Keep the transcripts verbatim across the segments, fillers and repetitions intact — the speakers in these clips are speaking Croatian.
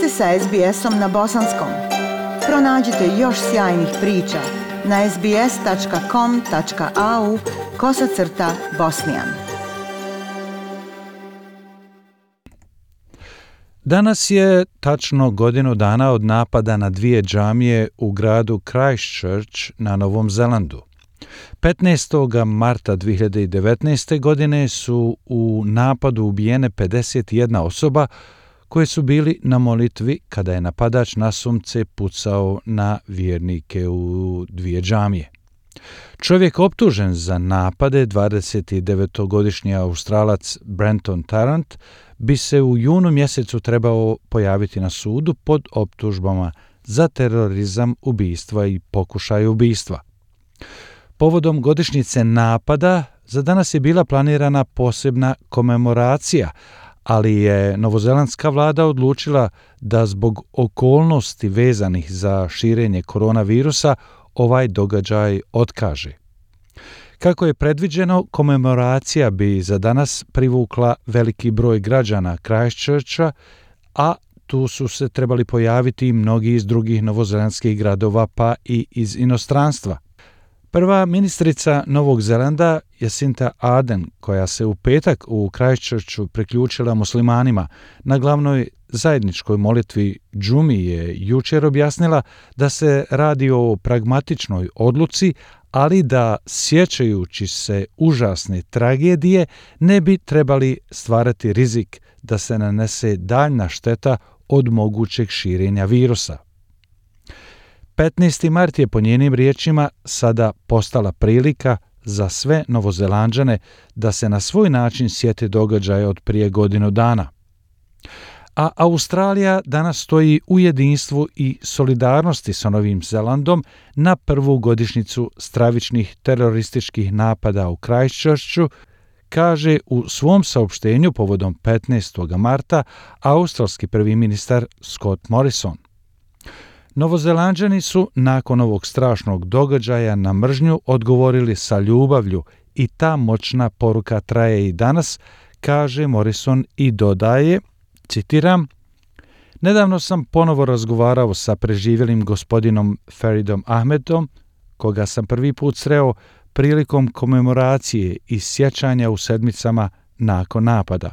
ste sa es be esom na bosanskom. Pronađite još sjajnih priča na es be es tačka com tačka a u kosacrta bosnijan. Danas je tačno godinu dana od napada na dvije džamije u gradu Christchurch na Novom Zelandu. petnaestog marta dvije hiljade devetnaeste. godine su u napadu ubijene pedeset jedna osoba koje su bili na molitvi kada je napadač nasumce pucao na vjernike u dvije džamije. Čovjek optužen za napade, dvadesetdevetogodišnji Australac Brenton Tarrant, bi se u junu mjesecu trebao pojaviti na sudu pod optužbama za terorizam, ubistva i pokušaj ubistva. Povodom godišnjice napada za danas je bila planirana posebna komemoracija, ali je novozelandska vlada odlučila da zbog okolnosti vezanih za širenje koronavirusa ovaj događaj otkaže. Kako je predviđeno, komemoracija bi za danas privukla veliki broj građana Christchurcha, a tu su se trebali pojaviti i mnogi iz drugih novozelandskih gradova pa i iz inostranstva. Prva ministrica Novog Zelanda, Jacinda Ardern, koja se u petak u Christchurchu priključila muslimanima na glavnoj zajedničkoj molitvi džumi, je jučer objasnila da se radi o pragmatičnoj odluci, ali da, sjećajući se užasne tragedije, ne bi trebali stvarati rizik da se nanese daljna šteta od mogućeg širenja virusa. petnaesti mart je po njenim riječima sada postala prilika za sve Novozelanđane da se na svoj način sjete događaja od prije godinu dana. A Australija danas stoji u jedinstvu i solidarnosti sa Novim Zelandom na prvu godišnjicu stravičnih terorističkih napada u Christchurchu, kaže u svom saopštenju povodom petnaestog marta australski prvi ministar Scott Morrison. Novozelanđani su nakon ovog strašnog događaja na mržnju odgovorili sa ljubavlju i ta moćna poruka traje i danas, kaže Morrison i dodaje, citiram, nedavno sam ponovo razgovarao sa preživjelim gospodinom Faridom Ahmedom, koga sam prvi put sreo prilikom komemoracije i sjećanja u sedmicama nakon napada.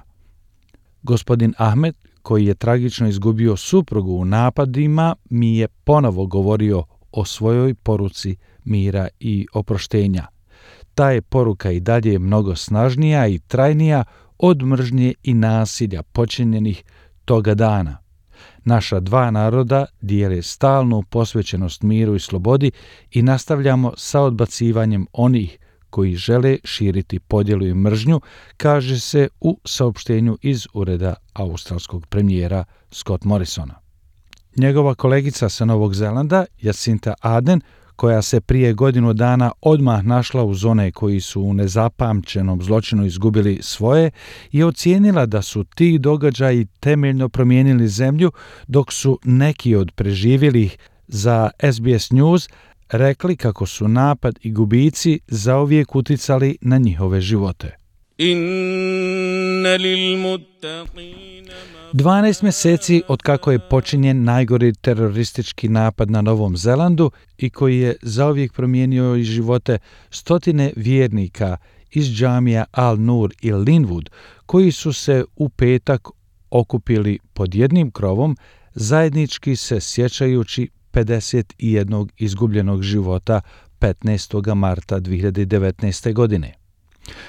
Gospodin Ahmed, koji je tragično izgubio suprugu u napadima, mi je ponovo govorio o svojoj poruci mira i oproštenja. Ta je poruka i dalje mnogo snažnija i trajnija od mržnje i nasilja počinjenih toga dana. Naša dva naroda dijele stalnu posvećenost miru i slobodi i nastavljamo sa odbacivanjem onih koji žele širiti podjelu i mržnju, kaže se u saopštenju iz ureda australskog premijera Scott Morrisona. Njegova kolegica sa Novog Zelanda, Jacinda Ardern, koja se prije godinu dana odmah našla uz one koji su u nezapamćenom zločinu izgubili svoje, je ocijenila da su ti događaji temeljno promijenili zemlju, dok su neki od preživjelih za es be es News rekli kako su napad i gubici zauvijek uticali na njihove živote. dvanaest mjeseci od kako je počinjen najgori teroristički napad na Novom Zelandu i koji je zauvijek promijenio i živote stotine vjernika iz džamija Al-Nur i Linwood, koji su se u petak okupili pod jednim krovom, zajednički se sjećajući pedeset jednog izgubljenog života petnaestog marta dvije hiljade devetnaeste. godine.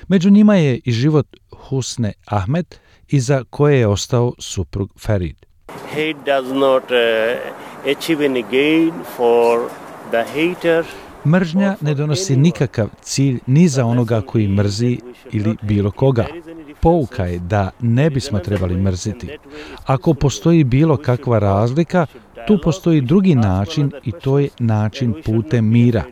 Među njima je i život Husne Ahmed, iza koje je ostao suprug Farid. Hate does not uh, achieve any gain for the hater. Mržnja ne donosi nikakav cilj ni za onoga koji mrzi ili bilo koga. Pouka je da ne bismo trebali mrziti. Ako postoji bilo kakva razlika, tu postoji drugi način i to je način putem mira.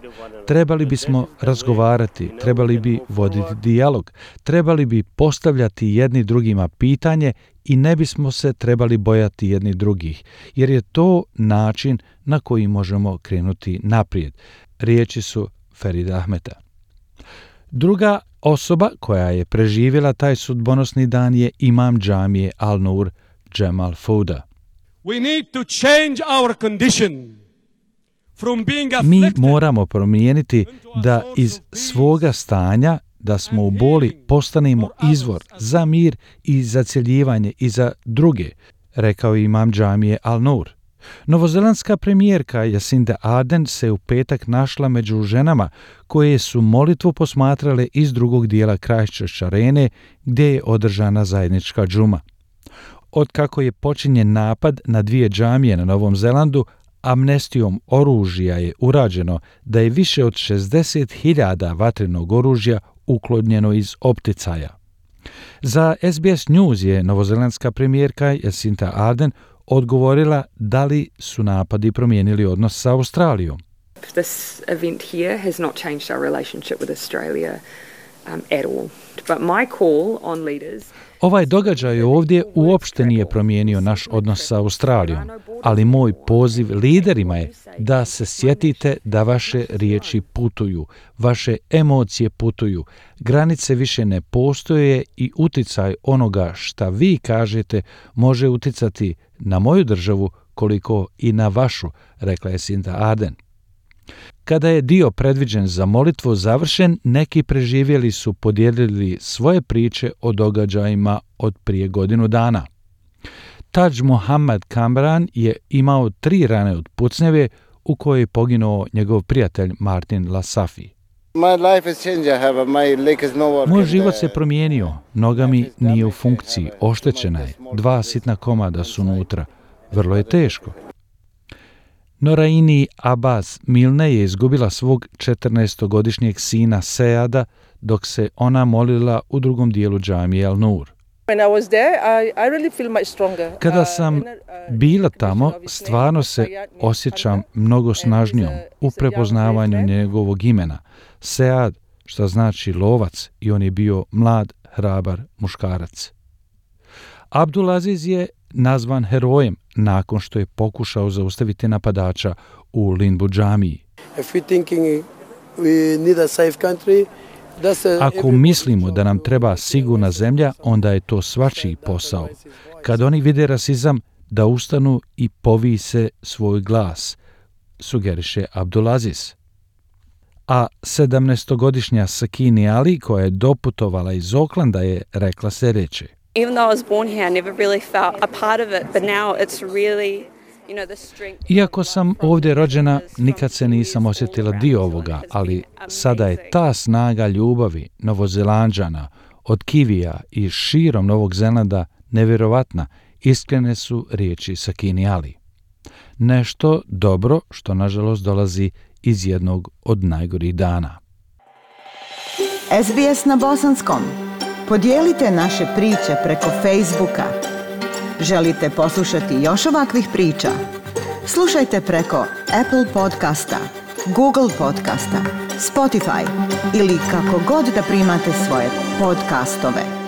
Trebali bismo razgovarati, trebali bi voditi dijalog, trebali bi postavljati jedni drugima pitanje i ne bismo se trebali bojati jedni drugih, jer je to način na koji možemo krenuti naprijed. Riječi su Farida Ahmeda. Druga osoba koja je preživjela taj sudbonosni dan je imam džamije Al-Nur, Jamal Fouda. We need to change our condition from being Mi afflicted moramo promijeniti da iz svoga stanja, da smo u boli, postanemo izvor za mir i za cjeljivanje i za druge, rekao je imam džamije Al-Nur. Novozelandska premijerka Jacinda Ardern se u petak našla među ženama koje su molitvu posmatrale iz drugog dijela Christchurch arene gdje je održana zajednička džuma. Otkako je počinjen napad na dvije džamije na Novom Zelandu, amnestijom oružja je urađeno da je više od šezdeset hiljada vatrenog oružja uklonjeno iz opticaja. Za S B S News je novozelandska premijerka Jacinda Ardern odgovorila da li su napadi promijenili odnos sa Australijom. This event here has not changed our relationship with Australia um, at all. But my call on leaders... Ovaj događaj ovdje uopšte nije promijenio naš odnos sa Australijom, ali moj poziv liderima je da se sjetite da vaše riječi putuju, vaše emocije putuju, granice više ne postoje i uticaj onoga šta vi kažete može uticati na moju državu koliko i na vašu, rekla je Jacinda Ardern. Kada je dio predviđen za molitvu završen, neki preživjeli su podijelili svoje priče o događajima od prije godinu dana. Taj Mohammed Kamran je imao tri rane od pucnjeve u kojoj je poginuo njegov prijatelj Martin Lasafi. Moj život se promijenio, noga mi nije u funkciji, oštećena je, dva sitna komada su unutra, vrlo je teško. Noraini Abbas Milne je izgubila svog četrnaestogodišnjeg sina Seada dok se ona molila u drugom dijelu džamije Al-Nur. Kada sam bila tamo, stvarno se osjećam mnogo snažnijom u prepoznavanju njegovog imena. Sead, što znači lovac, i on je bio mlad, hrabar muškarac. Abdulaziz je nazvan herojem nakon što je pokušao zaustaviti napadača u Linbu džamiji. Ako mislimo da nam treba sigurna zemlja, onda je to svačiji posao. Kad oni vide rasizam, da ustanu i povise svoj glas, sugeriše Abdulaziz. A sedamnaestogodišnja Sakini Ali, koja je doputovala iz Oklanda, je rekla sljedeće. Even though I was born here, I never really felt a part of it, but now it's really, you know, the strength. Iako sam ovdje rođena, nikad se nisam osjetila dio ovoga, ali sada je ta snaga ljubavi Novozelanđana od Kivija i širom Novog Zelanda nevjerovatna, iskrene su riječi Sakini Ali. Nešto dobro što nažalost dolazi iz jednog od najgorih dana. S B S na bosanskom. Podijelite naše priče preko Facebooka. Želite poslušati još ovakvih priča? Slušajte preko Apple podcasta, Google podcasta, Spotify ili kako god da primate svoje podcastove.